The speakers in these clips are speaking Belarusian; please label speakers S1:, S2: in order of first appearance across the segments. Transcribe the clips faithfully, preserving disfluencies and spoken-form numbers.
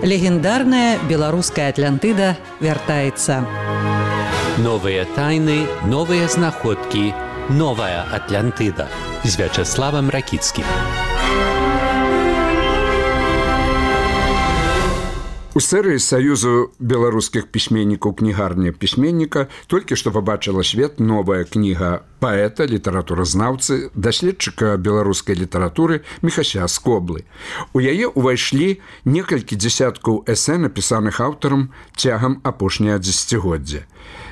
S1: Легендарная беларуская Атлантыда вяртаецца.
S2: Новыя тайны, новыя знаходкі, новая Атлантыда з Вячеславам Ракіцкім.
S3: У серыі Саюзу беларускіх пісьменнікаў кнігарня пісьменніка толькі што пабачыла свет новая кніга паэта, літаратуразнаўцы, даследчыка беларускай літаратуры Міхася Скоблы. У яе ўвайшлі некалькі дзесяткаў эсэ, напісаных аўтарам цягам апошняга дзесяцігоддзя.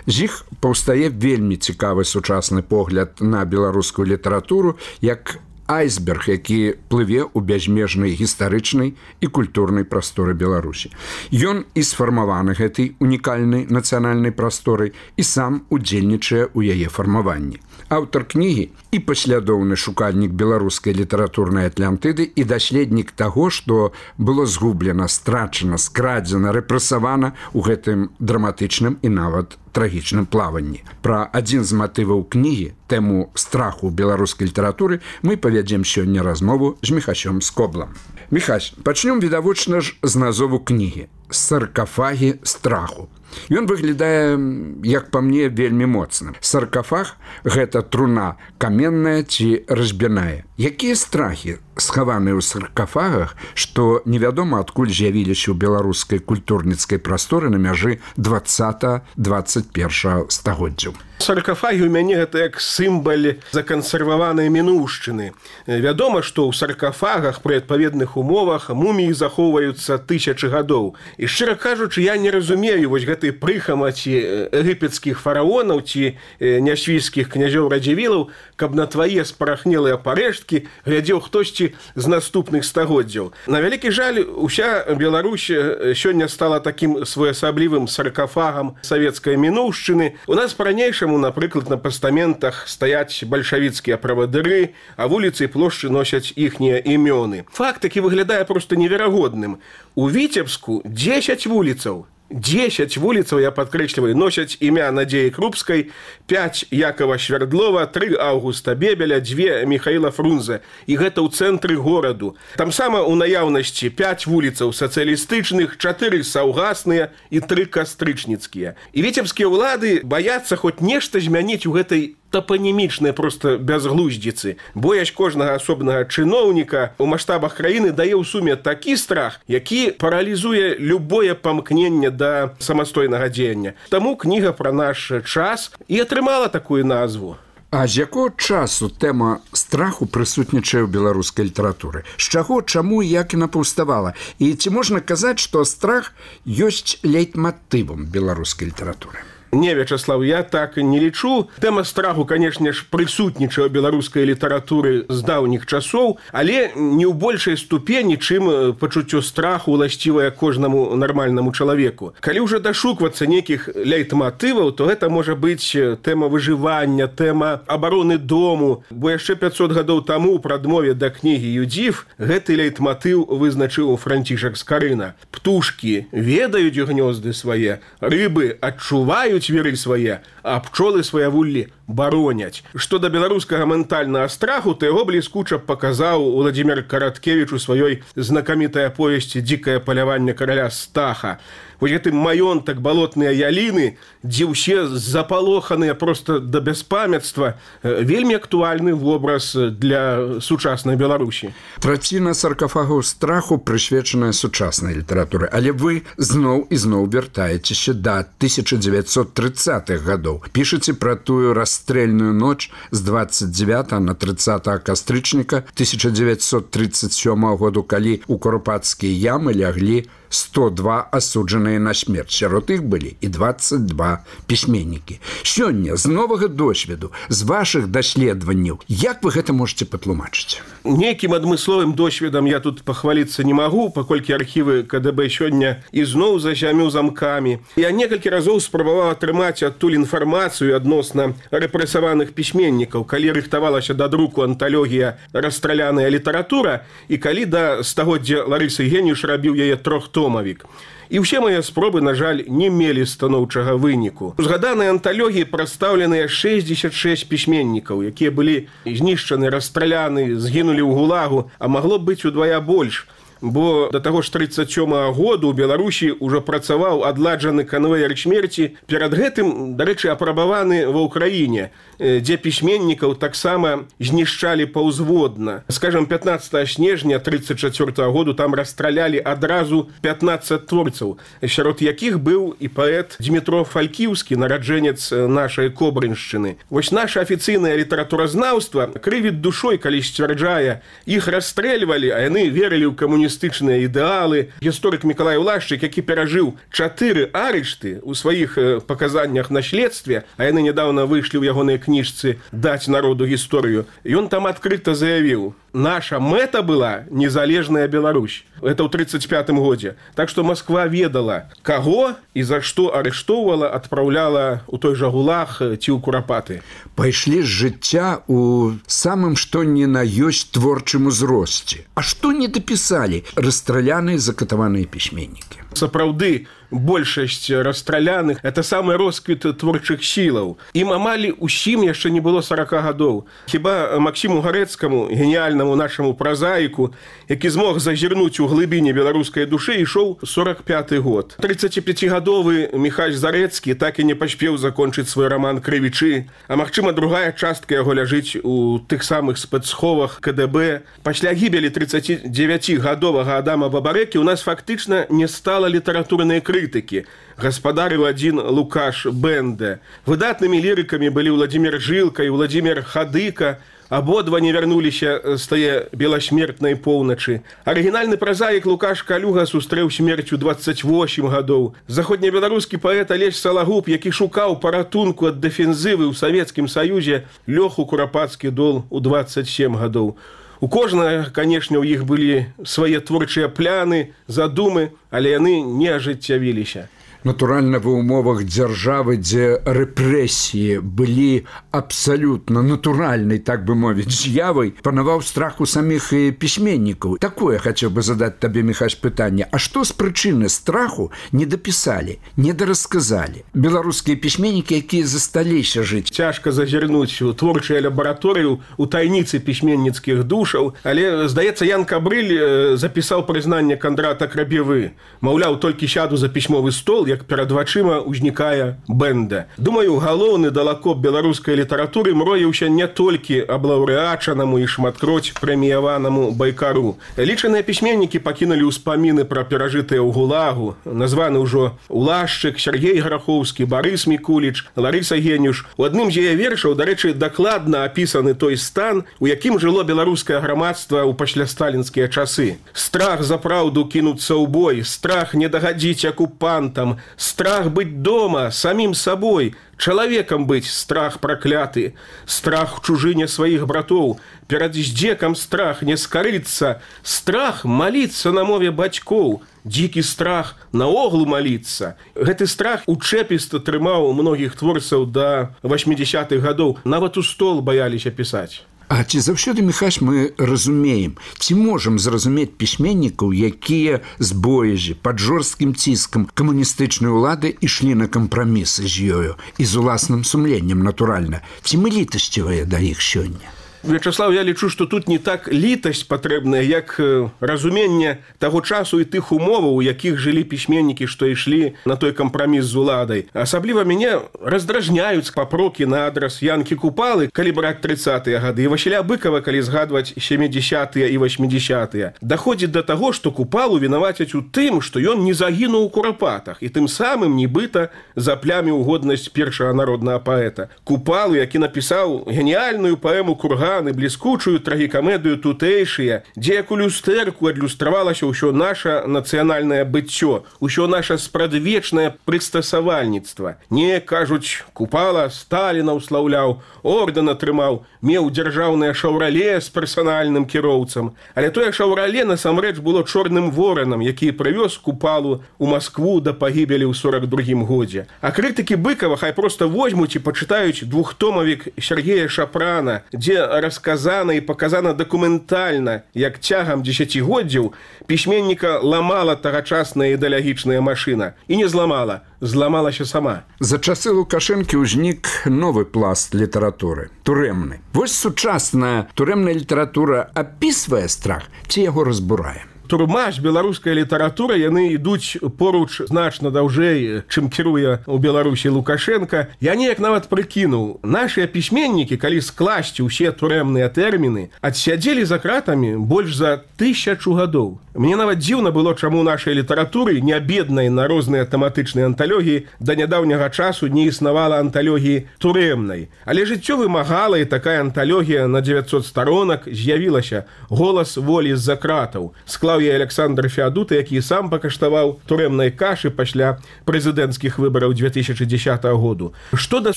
S3: З іх паўстае вельмі цікавы сучасны погляд на беларускую літаратуру як айсберг, які плыве ў бязмежнай гістарычнай і культурнай прасторы Беларусі. Ён і сфармаваны гэтай унікальнай нацыянальнай прасторай і сам удзельнічае ў яе фармаванні. Аўтар кнігі і паслядоўны шукальнік беларускай літаратурнай Атлантыды і даследнік таго, што было згублена, страчана, скрадзена, рэпрэсавана ў гэтым драматычным і нават трагічным плаванні. Пра адзін з матываў кнігі, тэму страху беларускай літаратуры, мы павядзем сёння размову з Міхасём Скоблам. Міхась, пачнём відавочна ж з назову кнігі «Саркафагі страху». Ён выглядае, як па мне, вельмі моцным. Саркафаг – гэта труна каменная ці разбіная. Якія страхі схаваныя ў саркафагах, што невядома адкуль з'явіліся ў беларускай культурніцкай прасторы на мяжы двадцатага - дваццаць першага стагоддзяў?
S4: Саркафагі ў мяне гэта як сімбал закансерваванай мінуўшчыны. Вядома, што ў саркафагах пры адпаведных умовах муміі захоўваюцца тысячы гадоў. І шчыра кажучы, я не разумею вось гэтай прыхамаці егіпецкіх фараонаў ці няшвійскіх князёў радзівілаў, каб на твае спарахнелыя парэшткі глядзеў хтосьці з наступных стагоддзяў. На вялікі жаль, уся Беларусь сёння стала такім своеасаблівым саркафагам савецкай мінуўшчыны. У нас па-ранейшаму, напрыклад, на пастаментах стаяць бальшавіцкія правадыры, а вуліцы і плошчы носяць іхнія імёны. Факт такі выглядае проста неверагодным. У Віцебску дзесяць вуліцаў. дзесяць вуліцаў, я падкрэсліваю, носяць імя Надзеі Крупскай, пяць Якова Швярдлова, тры Аўгуста Бебеля, дзве Міхаіла Фрунзе. І гэта ў цэнтры гораду. Там сама ў наяўнасці пяць вуліцаў сацыялістычных, чатыры саўгасныя і тры кастрычніцкія. І віцебскія ўлады баяцца хоць нешта змяніць у гэтай тапанімічнай проста бязглуздзіцы. Боязь кожнага асобнага чыноўніка ў маштабах краіны дае ў суме такі страх, які паралізуе любое памкненне да самастойнага дзеяння. Таму кніга пра наш час і атрымала такую назву.
S3: А з якого часу тэма страху прысутнічае ў беларускай літаратуры? З чаго, чаму і як яна паўставала? І ці можна казаць, што страх ёсць лейтматывам беларускай літаратуры?
S4: Не, Вячеслав, я так не лічу. Тэма страху, канешне ж, прысутнічае ў беларускай літаратуры з даўніх часоў, але не ў большай ступені, чым пачуццё страху уласцівае кожнаму нармальнаму чалавеку. Калі ўжо дашуквацца нейкіх лейтматываў, то гэта можа быць тэма выжывання, тэма абароны дому. Бо яшчэ пяцьсот гадоў таму ў прадмове да кнігі «Юдзіф» гэты лейтматыў вызначыў Францішак Скарына. Птушкі ведаюць гнёзды свае, рыбы адчуваюць веры свае, а пчолы сваявуллі бароняць. Што да беларускага ментальнага страху, то яго бліскуча паказаў Уладзімір Караткевіч у сваёй знакамітай аповесці «Дзікае паляванне караля Стаха». Вось гэты маёнтак балотныя яліны, дзе ўсе запалоханыя проста да бяспамятства, вельмі актуальны вобраз для сучаснай Беларусі.
S3: Траціна саркафагаў страху прысвечаная сучаснай літаратуры, але вы зноў і зноў вяртаецеся да тысяча дзевяцьсот трыццатых гадоў. Пішаце пра тую расстрэльную ноч з дваццаць дзевятага на трыццатага кастрычніка тысяча дзевяцьсот трыццаць сёмага году, калі ў Курпатскія ямы ляглі сто два асуджаныя на смерць. Сярод іх былі і дваццаць два пісьменнікі. Сёння з новага досведу, з вашых даследаванняў, як вы гэта можаце патлумачыць?
S4: Нейкім адмысловым досведам я тут пахваліцца не магу, паколькі архівы КДБ сёння ізноў за зямю замкамі. Я некалькі разоў спрабаваў атрымаць адтуль інфармацыю адносна рэпрэсаваных пісьменнікаў, калі рыхтавалася да друку анталогія «Расстраляная літаратура» і калі да стагоддзя Ларысы Геніш рабіў яе трохтомавік. І ўсе мае спробы, на жаль, не мелі станоўчага выніку. У згаданай анталогіі прадстаўленыя шэсцьдзесят шэсць пісьменнікаў, якія былі знішчаны, расстраляны, згінулі ў гулагу, а магло б быць удвая больш. бо да таго ж тридцать сёмага году ў Беларусі ўжо працаваў адладжаны канвеер смерці, перад гэтым, дарэчы, апрабаваны ва ўкраіне, дзе пісьменнікаў таксама знішчалі паўзводна. Скажам, пятнадцатага снежня тридцать чацвёртага году там расстралялі адразу пятнаццаць творцаў, сярод якіх быў і паэт Дмітро Фалькіўскі, нараджэнец нашай Кобрыншчыны. Вось наша афіцыйнае літаратуразнаўства крывіць душой, калі сцвярджае, іх расстрэльвалі, а яны верылі ў камуністычныя ідэалы. Гісторык Мікалай Улашчык, які перажыў чатыры арышты ў сваіх паказаннях на следстве, а яны нядаўна выйшлі ў ягонай кніжцы «Даць народу гісторыю», ён там адкрыта заявіў: наша мэта была незалежная Беларусь. Это ў тридцать пятым годзе. Так што Москва ведала, каго і за што арыштоўвала, адпраўляла ў той жа ГУЛАГ ці ў Курапаты.
S3: Пайшлі з жыцця у самым што ні на ёсць творчым узросце. А што не дапісалі расстраляныя закатаваныя пісьменнікі?
S4: Сапраўды, большасць расстраляных – это самы росквіт творчых сілаў. Ім амаль усім яшчэ не было сорока гадоў. Хіба Максіму Гарэцкаму, геніяльнаму нашаму празаіку, які змог зазірнуць у глыбіні беларускай душы, ішоў сорок пяты год. тридцатіпяцігадовы Міхась Зарэцкі так і не паспеў закончыць свой раман «Крывічы», а магчыма, другая частка яго ляжыць у тых самых спецсховах ка дэ бэ. Пасля гібелі тридцатидзевяцігадовага Адама Бабарэкі у нас фактычна не стала літаратурнай крытыкі. Гаспадарыў адзін Лукаш Бэнде. Выдатнымі лірыкамі былі Владзімір Жылка і Владзімір Хадыка. Абодва не вярнуліся з тае беласмертнай поўначы. Арыгінальны празаік Лукаш Калюга сустрэў смерць у дваццаць восем гадоў. Заходнебеларускі паэт Алесь Салагуб, які шукаў паратунку ад дэфензывы ў Савецкім Саюзе, лёг у Курапацкі дол у дваццаць сем гадоў. У кожнага, канешне, у іх былі свае творчыя пляны, задумы, але яны не ажыццявіліся.
S3: Натуральна, ва ўмовах дзяржавы, дзе рэпрэсіі былі абсалютна натуральнай, так бы мовіць, з'явай, панаваў страх у саміх пісьменнікаў. Такое хацеў бы задаць табе, Міхась, пытанне. А што з прычыны страху не дапісалі, не дарасказалі беларускія пісьменнікі, якія засталіся жыць?
S4: Цяжка зазірнуць у творчую лабараторыю, у тайніцы пісьменніцкіх душаў, але, здаецца, Ян Кабрыль запісаў прызнанне Кандрата Крабевы. Маўляў, толькі сяду за пісьмовы стол, як перад вачыма ўзнікае Бэнда. Думаю, галоўны далакоп беларускай літаратуры мроіўся не толькі аб лаўрэачанаму і шматкроць прэміяванаму Байкару. Лічаныя пісьменнікі пакінулі ўспаміны пра перажытыя ў ГУЛАГу. Названы ўжо Улашчык, Сергей Грахоўскі, Барыс Мікуліч, Ларыса Генюш. У адным з яе вершаў, дарэчы, дакладна апісаны той стан, у якім жыло беларускае грамадства ў паслясталінскія часы. Страх за праўду кінуцца ў бой, страх не дагадзіць акупантам, страх быть дома, самим собой, человеком быть, страх прокляты, страх в чужине своих братов, перед здзеком страх не скорыться, страх молиться на мове бацькоў, дзікі страх наогул молиться. Гэты страх учэпіста трымаў многіх творцаў да восьмідзесятых гадоў, нават у стол баяліся пісаць.
S3: А ці заўсёды, Міхась, мы разумеем, ці можам зразумець пісьменнікаў, якія з боязі, пад жорсткім ціскам камуністычнай улады ішлі на кампрамісы з ёю і з уласным сумленнем, натуральна. Ці мы літасцівыя да іх сёння?
S4: Вячеслав, я лічу, што тут не так літасць патрэбная, як разуменне таго часу і тых умоваў, у якіх жылі пісьменнікі, што ішлі на той кампраміс з уладай. Асабліва мяне раздражняюць папрокі на адрас Янкі Купалы, калі браць трыццатыя гады, і Васіля Быкава, калі згадваць сямідзесятыя і восьмідзесятыя. Даходзіць да таго, што Купалу вінавацяць у тым, што ён не загінуў у Курапатах, і тым самым, нібыта, запляміў годнасць першага народнага паэта. Купалу, які напісаў геніяльную паэму «Курган», і бліскучую трагікамедыю «Тутэйшыя», дзе як у люстэрку адлюстравалася ўсё наша нацыянальнае быццё, усё наша спрадвечнае прыстасавальніцтва. Не, кажуць, Купала Сталіна ўслаўляў, ордэн атрымаў, меў дзяржаўнае шаўрале з персанальным кіроўцам. Але тое шаўрале насамрэч было чорным воранам, які прывёз Купалу ў Маскву да пагібелі ў сорак другім годзе. А крытыкі Быкава хай проста возьмуць і пачытаюць двухтомавік Сергея Шапрана, дзе расказана і паказана дакументальна, як цягам дзесяцігоддзяў пісьменніка ламала тагачасная ідэалагічная машына. І не зламала, зламалася сама.
S3: За часы Лукашэнкі ўзнік новы пласт літаратуры – турэмны. Вось сучасная турэмная літаратура апісвае страх ці яго разбурае?
S4: турма ж беларуская літаратура, яны ідуць поруч значна даўжэй, чым кіруе ў Беларусі Лукашенко. Я неяк нават прыкінуў, нашыя пісьменнікі, калі скласці ўсе турэмныя тэрміны, адсядзелі за кратамі больш за тысячу гадоў. Мне нават дзіўна было, чаму нашай літаратуры, не беднай на розныя тэматычныя анталогіі, да нядаўняга часу не існавала анталогіі турэмнай. Але жыццё вымагала, і такая анталогія на дзевяцьсот старонак з'явілася. «Голас волі з-за кратаў». Склаў яе Александр Феадута, які сам пакаштаваў турэмнай кашы пасля прэзідэнцкіх выбараў две тысячи дзесятого году. Што да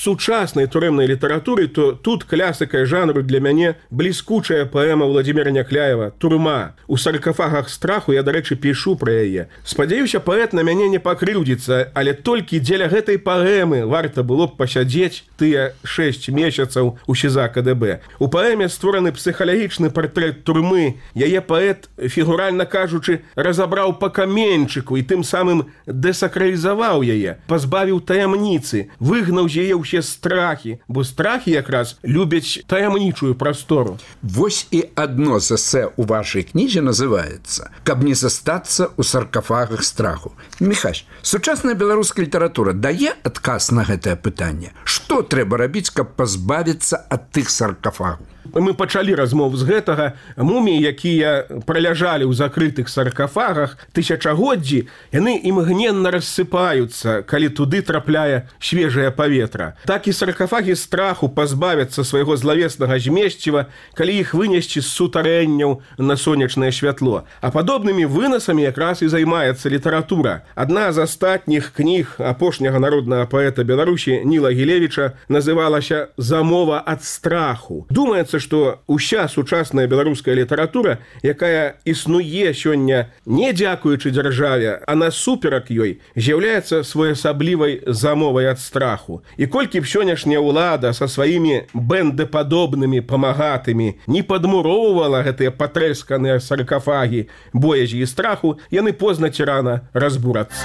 S4: сучаснай турэмнай літаратуры, то тут класікай жанру для мяне бліскучая паэма Владимира Някляева «Турма». У саркафагах страху я, дарэчы, пішу пра яе. Спадзяюся, паэт на мяне не пакрыўдзіцца, але толькі дзеля гэтай паэмы варта было б пасядзець тыя шэсць месяцаў у СІЗА КДБ. У паэме створаны псіхалагічны партрэт турмы. Яе паэт, фігуральна кажучы, разабраў па каменьчыку і тым самым дэсакралізаваў яе, пазбавіў таямніцы, выгнаў з яе ўсе страхі, бо страхі якраз любяць таямнічую прастору.
S3: Вось і адно з эсэ ў вашай кнізе называецца «Каб не застацца ў саркафагах страху». Міхась, сучасная беларуская літаратура дае адказ на гэтае пытанне? Што трэба рабіць, каб пазбавіцца ад тых саркафагаў?
S4: Мы пачалі размову з гэтага. Муміі, якія праляжалі ў закрытых саркафагах тысячагоддзі, яны імгненна рассыпаюцца, калі туды трапляе свежае паветра. Так і саркафагі страху пазбавяцца свайго злавеснага змесціва, калі іх вынесці з сутарэнняў на сонечнае святло. А падобнымі вынасамі якраз і займаецца літаратура. Адна з астатніх кніг апошняга народнага паэта Беларусі Ніла Гілевіча называлася «Замова ад страху». Думаецца, што ўся сучасная беларуская літаратура, якая існуе сёння не дзякуючы дзяржаве, а насуперак ёй, з'яўляецца своеасаблівай замовай ад страху. І колькі б сённяшняя ўлада са сваімі бэндэпадобнымі памагатымі не падмуроўвала гэтыя патрэсканыя саркафагі боязі і страху, яны позна ці рана разбурацца.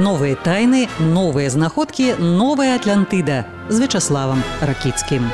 S1: Новыя тайны, новыя знаходкі, новая Атлантыда з Вячаславам Ракіцкім.